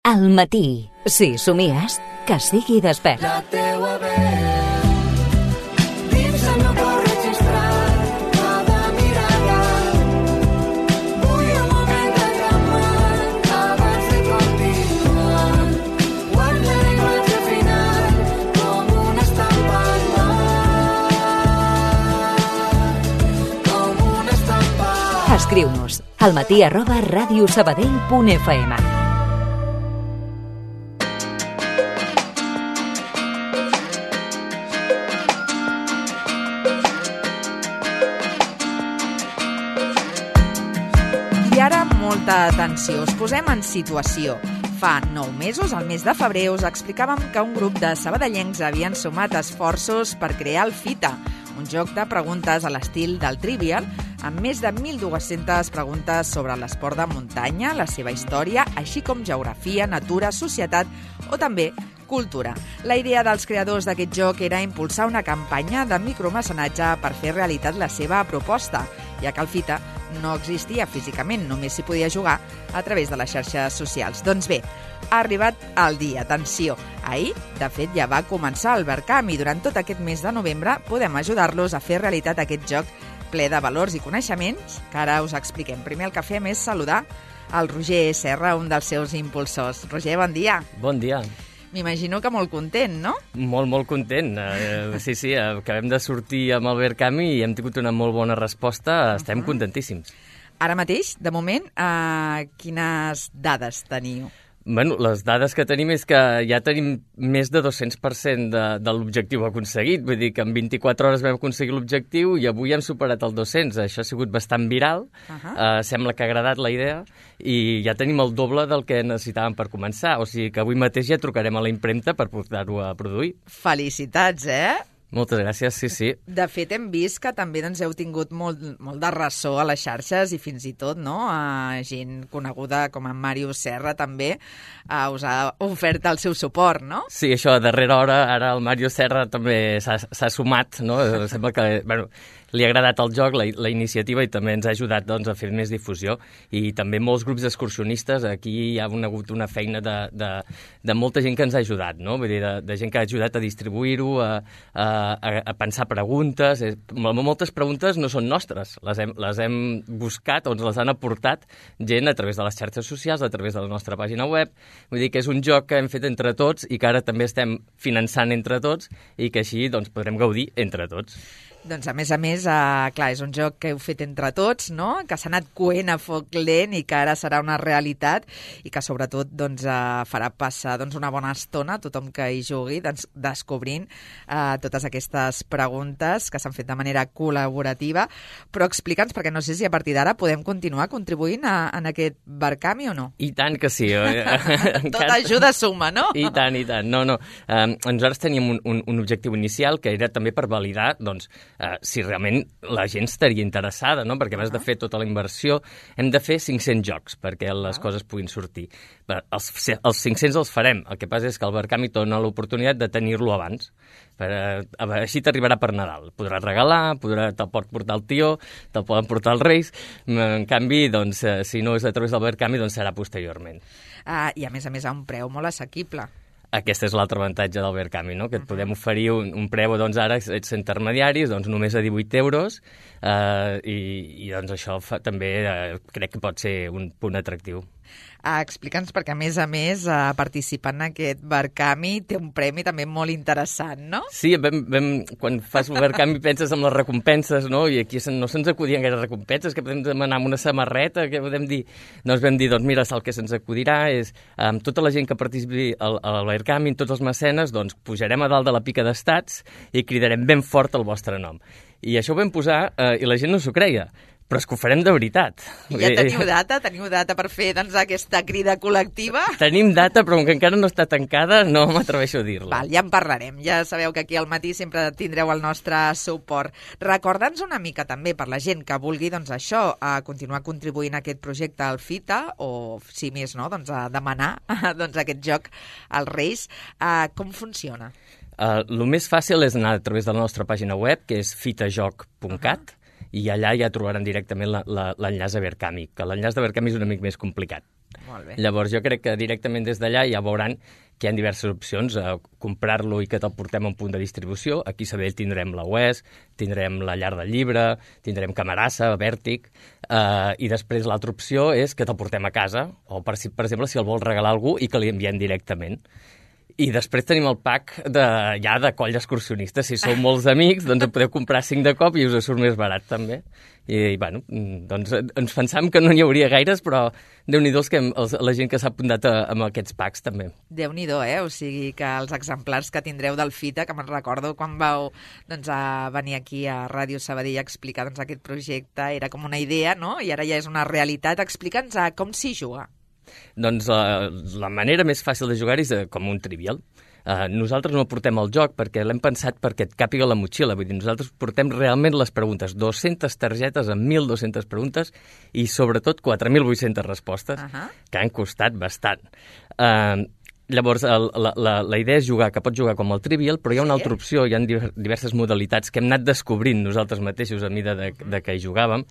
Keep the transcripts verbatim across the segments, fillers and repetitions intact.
Al matí, si somies, que sigui despert. La teua veu dins el meu cor registrat, cada mirada. Vull un moment de calmat abans de continuar. Guarda la imatge final com una estampa al mar, com una estampa. Escriu-nos almatí arroba radiosabadell punt f m. I ara, molta atenció, us posem en situació. Fa nou mesos, al mes de febrer, us explicàvem que un grup de sabadellencs havien sumat esforços per crear el Fita, un joc de preguntes a l'estil del Trivial, amb més de mil dues-centes preguntes sobre l'esport de muntanya, la seva història, així com geografia, natura, societat o també cultura. La idea dels creadors d'aquest joc era impulsar una campanya de micromecenatge per fer realitat la seva proposta, ja que el Fita no existia físicament, només s'hi podia jugar a través de les xarxes socials. Doncs bé, ha arribat el dia, atenció. Ahir, de fet, ja va començar el Verkam i durant tot aquest mes de novembre podem ajudar-los a fer realitat aquest joc ple de valors i coneixements que ara us expliquem. Primer el que fem és saludar el Roger Serra, un dels seus impulsors. Roger, bon dia. Bon dia. M'imagino que molt content, no? Molt, molt content. Uh, sí, sí, acabem de sortir amb el Verkam i hem tingut una molt bona resposta. Estem uh-huh. contentíssims. Ara mateix, de moment, uh, quines dades teniu? Bueno, les dades que tenim és que ja tenim més de dos-cents per cent de, de l'objectiu aconseguit. Vull dir que en vint-i-quatre hores vam aconseguir l'objectiu i avui hem superat el dos-cents. Això ha sigut bastant viral. Uh-huh. Uh, sembla que ha agradat la idea i ja tenim el doble del que necessitàvem per començar. O sigui que avui mateix ja trucarem a la impremta per portar-ho a produir. Felicitats, eh? Moltes gràcies, sí, sí. De fet, hem vist que també doncs, heu tingut molt, molt de ressò a les xarxes i fins i tot no, a gent coneguda com en Màrius Serra també uh, us ha ofert el seu suport, no? Sí, això a darrera hora, ara el Màrius Serra també s'ha sumat, no? Sembla que, bueno, li ha agradat el joc, la, la iniciativa, i també ens ha ajudat doncs, a fer més difusió. I també molts grups excursionistes, aquí hi ha hagut una feina de, de, de molta gent que ens ha ajudat, no? Vull dir, de, de gent que ha ajudat a distribuir-ho, a, a, a pensar preguntes. Moltes preguntes no són nostres, les hem, les hem buscat o ens les han aportat gent a través de les xarxes socials, a través de la nostra pàgina web. Vull dir que és un joc que hem fet entre tots i que ara també estem finançant entre tots i que així doncs, podrem gaudir entre tots. Doncs, a més a més, eh, clar, és un joc que heu fet entre tots, no? Que s'ha anat coent a foc lent i que ara serà una realitat i que, sobretot, doncs, eh, farà passar doncs, una bona estona a tothom que hi jugui, doncs, descobrint eh, totes aquestes preguntes que s'han fet de manera col·laborativa. Però explica'ns, perquè no sé si a partir d'ara podem continuar contribuint a, en aquest Verkam o no? I tant que sí. Tota ajuda suma, no? I tant, i tant. No, no. Um, nosaltres teníem un, un, un objectiu inicial que era també per validar, doncs, Uh, si realment la gent estaria interessada, no? Perquè abans de fer tota la inversió hem de fer cinc-cents jocs perquè les coses puguin sortir. Però els, els cinc-cents els farem. El que passa és que el Verkam hi dona l'oportunitat de tenir-lo abans. Per, uh, així t'arribarà per Nadal. Podràs regalar, podrà, te'l pot portar el tió, te'l poden portar els Reis. En canvi, doncs, uh, si no és a través del Verkam, doncs serà posteriorment. Uh, I a més a més a un preu molt assequible. Aquest és l'altre avantatge del Verkam, no? Que et podem oferir un, un preu, doncs ara ets intermediaris, doncs només a divuit euros, eh, i, i doncs això fa, també eh, crec que pot ser un punt atractiu. Uh, Explica'ns, perquè a més a més uh, participar en aquest Verkam té un premi també molt interessant, no? Sí, vam, vam, quan fas un Verkam penses en les recompenses, no? I aquí no se'ns acudien gaire recompenses, que podem demanar amb una samarreta, que podem dir... Doncs vam dir, doncs mira, el que se'ns acudirà és amb tota la gent que participi al, al Verkam, tots els mecenes, doncs pujarem a dalt de la pica d'estats i cridarem ben fort el vostre nom. I això ho vam posar eh, i la gent no s'ho creia. Però és que ho farem de veritat. I ja teniu data? Teniu data per fer doncs, aquesta crida col·lectiva? Tenim data, però que encara no està tancada, no m'atreveixo a dir-la. Val, ja en parlarem. Ja sabeu que aquí al matí sempre tindreu el nostre suport. Recorda'ns una mica també per la gent que vulgui doncs, això, a continuar contribuint a aquest projecte al Fita, o si més no, doncs, a demanar doncs, aquest joc als Reis. Uh, com funciona? Uh, el més fàcil és anar a través de la nostra pàgina web, que és fitajoc punt cat, uh-huh. i allà ja trobaran directament l'enllaç a Verkami, que l'enllaç de Verkami és una mica més complicat. Molt bé. Llavors jo crec que directament des d'allà ja veuran que hi ha diverses opcions, a comprar-lo i que te'l portem a un punt de distribució. Aquí a Sabadell tindrem la U E S, tindrem la Llar del Llibre, tindrem Camarasa, Vèrtic, eh, i després l'altra opció és que te'l portem a casa, o per, si, per exemple si el vols regalar a algú i que li enviem directament. I després tenim el pack de, ja de coll excursionista. Si sou molts amics, doncs en podeu comprar cinc de cop i us surt més barat, també. I, bueno, doncs ens pensàvem que no n'hi hauria gaires, però Déu-n'hi-do que els, la gent que s'ha apuntat a, amb aquests packs, també. Déu-n'hi-do, eh? O sigui que els exemplars que tindreu del Fita, que me'n recordo quan vau doncs, a venir aquí a Ràdio Sabadell a explicar doncs, aquest projecte, era com una idea, no? I ara ja és una realitat. Explica'ns a com s'hi juga. Doncs la, la manera més fàcil de jugar és uh, com un trivial. Uh, nosaltres no portem el joc perquè l'hem pensat perquè et càpiga la motxilla. Vull dir, nosaltres portem realment les preguntes. dues-centes targetes amb mil dues-centes preguntes i sobretot quatre mil vuit-centes respostes, uh -huh. que han costat bastant. Uh, Llavors, el, la, la, la idea és jugar, que pots jugar com el trivial, però hi ha una sí? altra opció, hi ha diverses modalitats que hem anat descobrint nosaltres mateixos a mida de, de que hi jugàvem,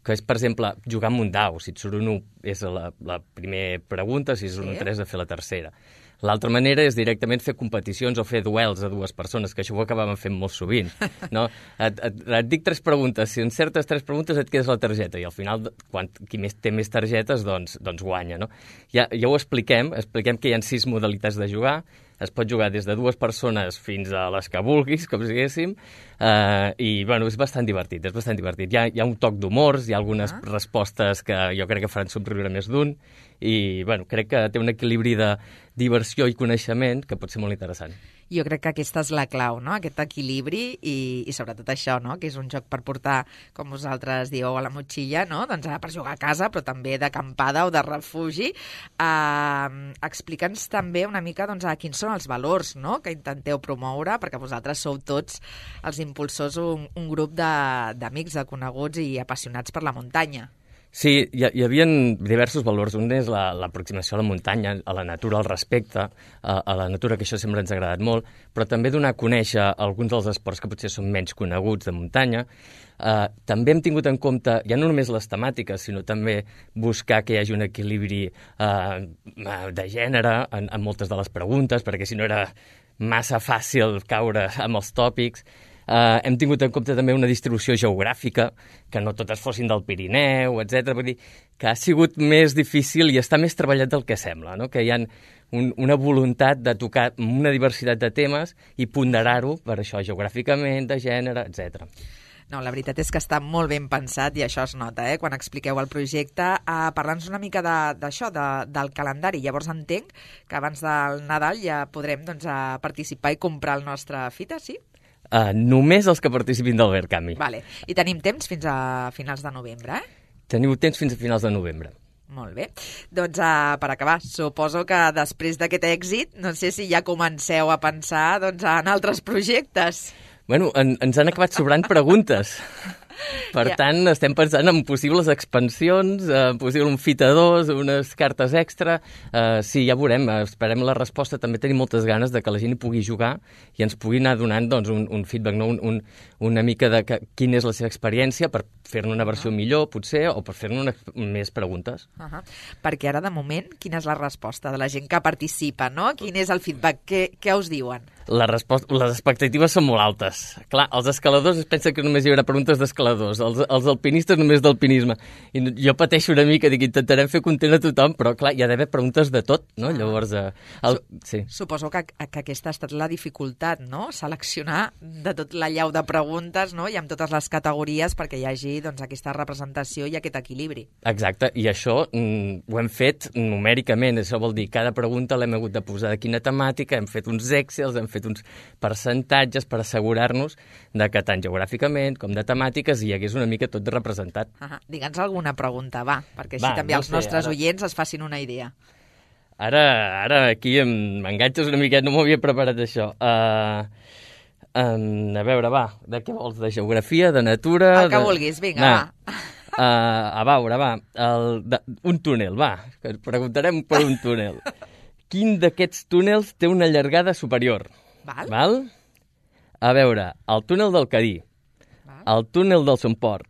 que és, per exemple, jugar amb un dau. Si et surt un u és la, la primera pregunta, si és un sí? tres, de fer la tercera. L'altra manera és directament fer competicions o fer duels a dues persones, que això ho acabàvem fent molt sovint. No? Et, et, et dic tres preguntes, si encertes tres preguntes et quedes la targeta, i al final, quan, qui més, té més targetes, doncs, doncs guanya. No? Ja, ja ho expliquem, expliquem que hi ha sis modalitats de jugar. Es pot jugar des de dues persones fins a les que vulguis, com si diguéssim, eh, i bueno, és bastant divertit, és bastant divertit. Hi ha, hi ha un toc d'humors, hi ha algunes ah. respostes que jo crec que faran somriure més d'un, i bueno, crec que té un equilibri de diversió i coneixement que pot ser molt interessant. Jo crec que aquesta és la clau, no? Aquest equilibri i, i sobretot això, no? Que és un joc per portar, com vosaltres dieu, a la motxilla, no? Doncs per jugar a casa, però també d'acampada o de refugi. Uh, Explica'ns també una mica doncs, a quins són els valors, no? Que intenteu promoure, perquè vosaltres sou tots els impulsors, un, un grup d'amics, de, de coneguts i apassionats per la muntanya. Sí, hi, hi havia diversos valors. Un és l'aproximació la, a la muntanya, a la natura, al respecte, a, a la natura, que això sempre ens ha agradat molt, però també donar a conèixer alguns dels esports que potser són menys coneguts de muntanya. Uh, també hem tingut en compte, ja no només les temàtiques, sinó també buscar que hi hagi un equilibri uh, de gènere en, en moltes de les preguntes, perquè si no era massa fàcil caure amb els tòpics. Uh, hem tingut en compte també una distribució geogràfica, que no totes fossin del Pirineu, etcètera. Vull dir que ha sigut més difícil i està més treballat del que sembla, no? Que hi ha un, una voluntat de tocar una diversitat de temes i ponderar-ho per això, geogràficament, de gènere, etcètera. No, la veritat és que està molt ben pensat i això es nota, eh, quan expliqueu el projecte. Uh, Parlant-nos una mica d'això, de, de, del calendari. Llavors entenc que abans del Nadal ja podrem doncs, uh, participar i comprar el nostre Fita, sí? Uh, només els que participin del Verkami. Vale. I tenim temps fins a finals de novembre, eh? Teniu temps fins a finals de novembre. Molt bé. Doncs uh, per acabar, suposo que després d'aquest èxit, no sé si ja comenceu a pensar doncs, en altres projectes. Bueno, en, ens han acabat sobrant preguntes. Per yeah. tant, estem pensant en possibles expansions, en possible un Fita dos, unes cartes extra. Uh, sí, ja veurem, esperem la resposta. També tenim moltes ganes de que la gent hi pugui jugar i ens pugui anar donant doncs, un, un feedback, no? un, un, una mica de que, quina és la seva experiència per fer-ne una versió uh -huh. millor, potser, o per fer-ne més preguntes. Uh -huh. Perquè ara, de moment, quina és la resposta de la gent que participa, no? Quin és el feedback? Què, què us diuen? La resposta, les expectatives són molt altes. Clar, els escaladors es pensen que només hi haurà preguntes d'escaladors, els, els alpinistes només d'alpinisme. I jo pateixo una mica, dic, intentarem fer content a tothom, però clar, hi ha d'haver preguntes de tot, no? Ah. Llavors, eh, el, sí. Suposo que, que aquesta ha estat la dificultat, no? Seleccionar de tot la llau de preguntes, no? I amb totes les categories perquè hi hagi doncs, aquesta representació i aquest equilibri. Exacte, i això mm, ho hem fet numèricament, això vol dir cada pregunta l'hem hagut de posar de quina temàtica, hem fet uns excels, hem fet uns percentatges per assegurar-nos de que tant geogràficament com de temàtiques hi hagués una mica tot representat. Uh -huh. Digue'ns alguna pregunta, va, perquè així va, també no els sé, nostres ara... oients es facin una idea. Ara, ara aquí m'enganxes una miqueta, no m'ho havia preparat això. Uh, um, a veure, va, de què vols? De geografia, de natura... El que de... vulguis, vinga, va. va. Uh, a veure, va, el, de, un túnel, va, que preguntarem per un túnel. Quin d'aquests túnels té una llargada superior? Val. Val? A veure, el túnel del Cadí, Val. El túnel del Somport,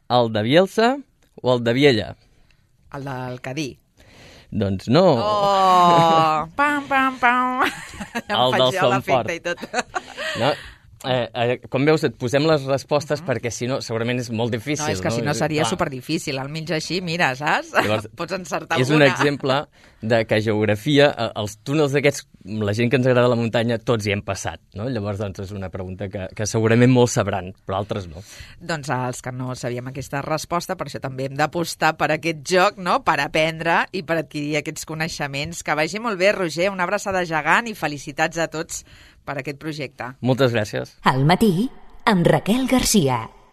el de Bielsa o el de Viella? El del Cadí. Doncs no. Oh! Pam, pam, pam! Em El del faig jo son l'efecte fort. i tot. No? Eh, eh, com veus, et posem les respostes uh -huh. perquè si no, segurament és molt difícil. No, és que si no seria Clar. superdifícil. Al mig així, mira, saps? Llavors, Pots encertar és alguna. un exemple de que geografia, eh, els túnels aquests, la gent que ens agrada la muntanya, tots hi hem passat, no? Llavors, doncs, és una pregunta que, que segurament molts sabran, però altres no. Doncs els que no sabíem aquesta resposta, per això també hem d'apostar per aquest joc, no?, per aprendre i per adquirir aquests coneixements. Que vagi molt bé, Roger, una abraçada gegant i felicitats a tots per aquest projecte. Moltes gràcies. Al matí, amb Raquel Garcia.